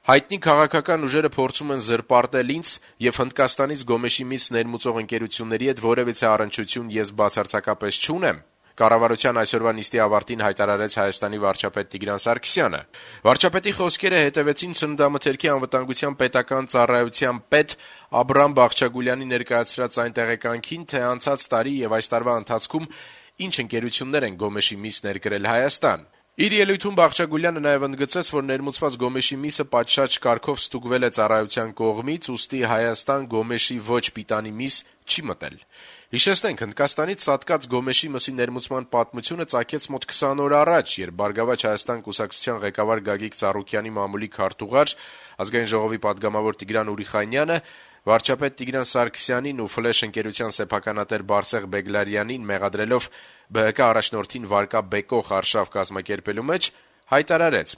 Հայտնի քաղաքական ուժերը փորձում են զրպարտել ինձ եւ Հնդկաստանից Գոմեշի միս ներմուծող ընկերությունների հետ որեւիցե առնչություն ես բացարձակապես չունեմ, կառավարության այսօրվա նիստի ավարտին հայտարարեց Հայաստանի վարչապետ Տիգրան Սարգսյանը։ Վարչապետի խոսքերը հետևեցին Ծննդամթերքի անվտանգության պետական ծառայության պետ Աբրամ Բաղչագուլյանի ներկայացրած այն տեղեկանքին, թե անցած տարի եւ այս տարվա ընթացքում ինչ ընկերություններ են Գոմեշի միս ներկրել Հայաստան։ Իր ելույթում Բաղչագուլյանը նաև ընդգծեց, որ ներմուծված Գոմեշի միսը պատշաճ կարգով ստուգվել է ծառայության կողմից, ուստի Հայաստան Գոմեշի ոչ պիտանի միս չի մտել։ Հիշեցնենք, Հնդկաստանից սատկած Գոմեշի մսի ներմուծման պատմությունը ծագեց մոտ 20 օր առաջ, երբ Բարգավաճ Հայաստան կուսակցության ղեկավար Գագիկ Ծառուկյանի մամուլի քարտուղար, Ազգային ժողովի պատգամավոր Տիգրան Ուրիխանյանը վարչապետ Տիգրան Սարգսյանին ու Ֆլեշ ընկերության սեփականատեր Բարսեղ Բեգլարյանին մեղադրելով ԲՀԿ առաջնորդին վարկա բեկող արշավ կազմակերպելու մեջ հայտարարեց.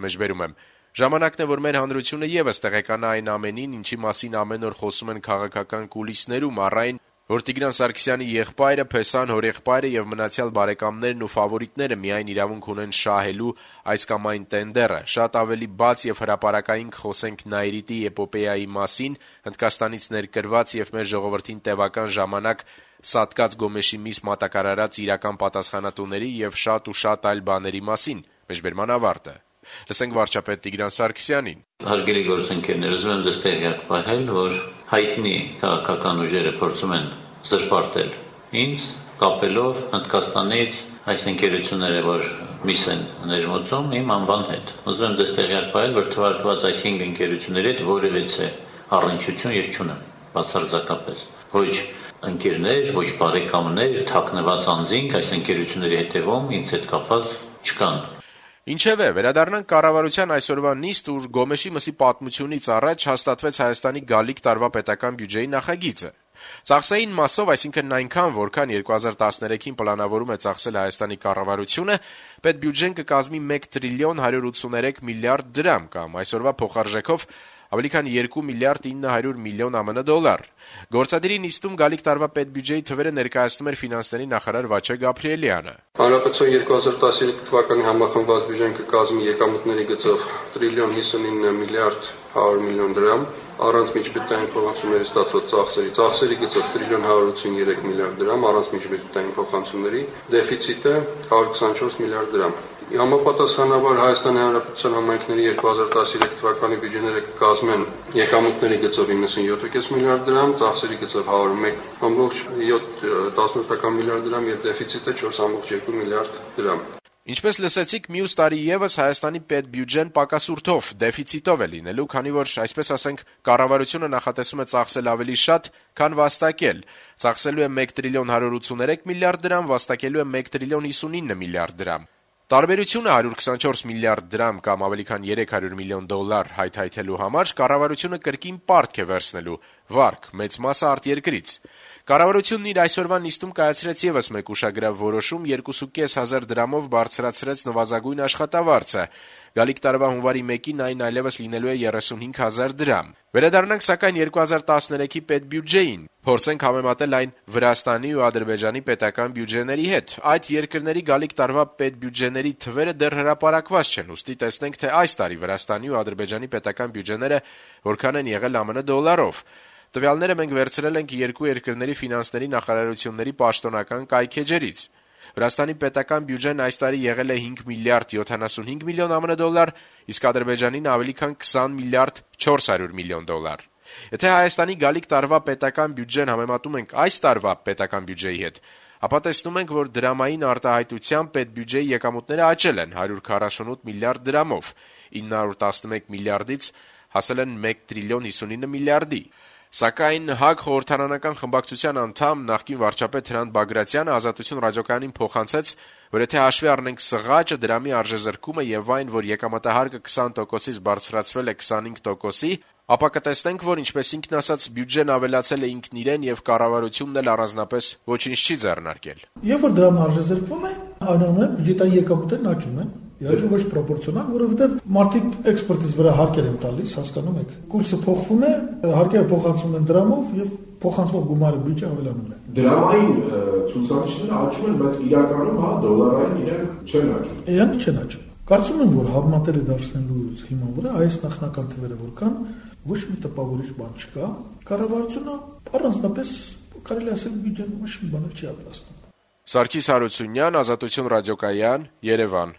«Ժամանակն է, որ մեր հանրությունը եւս տեղեկանա այն ամենին, ինչի մասին ամեն օր խոսում են քաղաքական կուլիսներում, առ այն, որ Տիգրան Սարգսյանի եղբայրը, Փեսան հորեղբայրը եւ մնացյալ բարեկամներն ու ֆավորիտները միայն իրավունք ունեն շահելու այս կամ այն տենդերը, շատ ավելի բաց եւ հրապարակային կխոսենք Նայիրիտի էպոպեայի մասին, Հնդկաստանից ներկրված եւ մեր ժողովրդին տևական ժամանակ սատկած Գոմեշի միս մատակարարած իրական պատասխանատուների եւ շատ այլ բաների մասին»։ Լսենք վարչապետ Տիգրան Սարգսյանին. Հարգելի գործընկերներ, ուզում եմ ձեզ տեղյակ պահել, որ հայտնի քաղաքական ուժերը փորձում են զրպարտել ինձ, կապելով Հնդկաստանից այս ընկերությունները, որ միս են ներմուծում, իմ անվան հետ։ Ուզում եմ ձեզ տեղյակ պահել, որ թվարկված այս 5 ընկերությունների հետ որևիցե առնչություն ես չունեմ, բացարձակապես։ Ոչ ընկերներ, ոչ բարեկամներ, թաքնված անձինք այս ընկերությունների հետևում ինձ հետ կապված չկան։ Ինչևէ, վերադառնանք կառավարության այսօրվա նիստ, ուր Գոմեշի մսի պատմությունից առաջ հաստատվեց Հայաստանի գալիք տարվա պետական բյուջեի նախագիծը։ Ծախսային մասով, այսինքն այնքան, որքան 2013-ին պլանավորում է ծախսել Հայաստանի կառավարությունը, պետբյուջեն կկազմի 1 տրիլիոն 183 միլիարդ դրամ կամ այսօրվա փոխարժեքով ավելի քան 2 միլիարդ 900 միլիոն ԱՄՆ դոլար։ Գործադիրի նիստում գալիք տարվա պետբյուջեի թվերը ներկայացնում էր ֆինանսների նախարար Վաչե Գաբրիելյանը։ Հանրապետության 2013 թվականի համախմբված բյուջեն կկազմի եկամուտների գծով տրիլիոն 59 միլիարդ 100 միլիոն դրամ, առանց միջբյուջետային փոխանցումների ստացված ծախսերի գծով տրիլիոն 183 միլիարդ դրամ, առանց միջբյուջետային փոխանցումների, դեֆիցիտը 124 միլիարդ դրամ։ Համապատասխանաբար Հայաստանի Հանրապետության համայնքների 2013 թվականի բյուջեները կկազմեն եկամուտների գծով 97.5 միլիարդ դրամ, ծախսերի գծով 101.7 միլիարդ դրամ եւ դեֆիցիտը 4.2 միլիարդ դրամ։ Ինչպես լսեցիք, մյուս տարի եւս Հայաստանի պետբյուջեն պակասուրդով, դեֆիցիտով է լինելու, քանի որ, այսպես ասենք, կառավարությունը նախատեսում է ծախսել ավելի շատ, քան վաստակել։ Ծախսելու է 1 տրիլիոն 183 միլիարդ դրամ, վաստակելու է 1 տրիլիոն 59 միլիարդ դրամ։ Տարբերությունը 124 միլիարդ դրամ կամ ավելի քան 300 միլիոն դոլար հայթայթելու համար կառավարությունը կրկին պարտք է վերցնելու վարկ, մեծ մասը արտերկրից։ Կառավարությունն իր այսօրվա նիստում կայացրեց եւս մեկ ուշագրավ որոշում, 2.500 դրամով բարձրացրեց նվազագույն աշխատավարձը։ Գալիք տարվա հունվարի 1-ին այն այլևս լինելու է 35.000 դրամ։ Վերադառնանք սակայն 2013-ի պետբյուջեին։ Փորձենք համեմատել այն Վրաստանի ու Ադրբեջանի պետական բյուջեների հետ։ Այդ երկրների գալիք տարվա պետբյուջեների թվերը դեռ հրապարակված չեն, ուստի տեսնենք, թե այս տարի Վրաստանի ու Ադրբեջանի պետական բյուջեները որքան են եղել ԱՄՆ դոլարով։ Տվյալները մենք վերցրել ենք երկու երկրների ֆինանսների նախարարությունների պաշտոնական կայքեջերից։ Վրաստանի պետական բյուջեն այս տարի եղել է 5 միլիարդ 75 միլիոն ԱՄՆ դոլար, իսկ Ադրբեջանին ավելի քան 20 միլիարդ 400 միլիոն դոլար։ Եթե Հայաստանի գալիք տարվա պետական բյուջեն համեմատում ենք այս տարվա պետական բյուջեի հետ, ապա տեսնում ենք, որ դրամային արտահայտությամբ պետբյուջեի եկամուտները աճել են 148 միլիարդ դրամով, 911 միլիարդից հասել են 1 տրիլիոն 59 միլիարդի։ Սակայն ՀԱԿ խորհրդարանական խմբակցության անդամ նախկին վարչապետ Հրանտ Բագրատյանը Ազատություն ռադիոկայանին փոխանցեց, որ եթե հաշվի առնենք սղաճը, դրամի արժեզրկումը եւ այն, որ եկամտահարկը 20%-ից բարձրացվել է 25%-ի, ապա կտեսնենք, որ ինչպես ինքն ասաց, բյուջեն ավելացել է ինքն իրեն եւ կառավարությունն էլ առանձնապես ոչինչ չի ձեռնարկել։ Երբ որ դրամը արժեզրկվում է, այնուամենայնիվ բյուջետային եկամուտներն աճում են։ Իհարկե ոչ պրոպորցիոնալ, որովհետև մարդիկ էքսպորտից վրա հարկեր են տալիս, հասկանում եք։ Կուրսը փոխվում է, հարկերը փոխանցվում են դրամով եւ փոխանցվող գումարը բյուջե ավելանում է։ Դրամային ցուցանիշները աճում են, բայց իրականում դոլարային իրենք չեն աճում։ Իրանք չեն աճում։ Կարծում եմ, որ համատեղ դարձնելու հիման վրա այս նախնական թվերը որ կան, ոչ մի տպավորիչ բան չկա։ Կառավարությունը առանձնապես կարելի ասել բյուջեն ոչ մի բան չի ավելացնում։ Սարգիս Հարությունյան, Ազատություն ռադիոկայան, Երևան։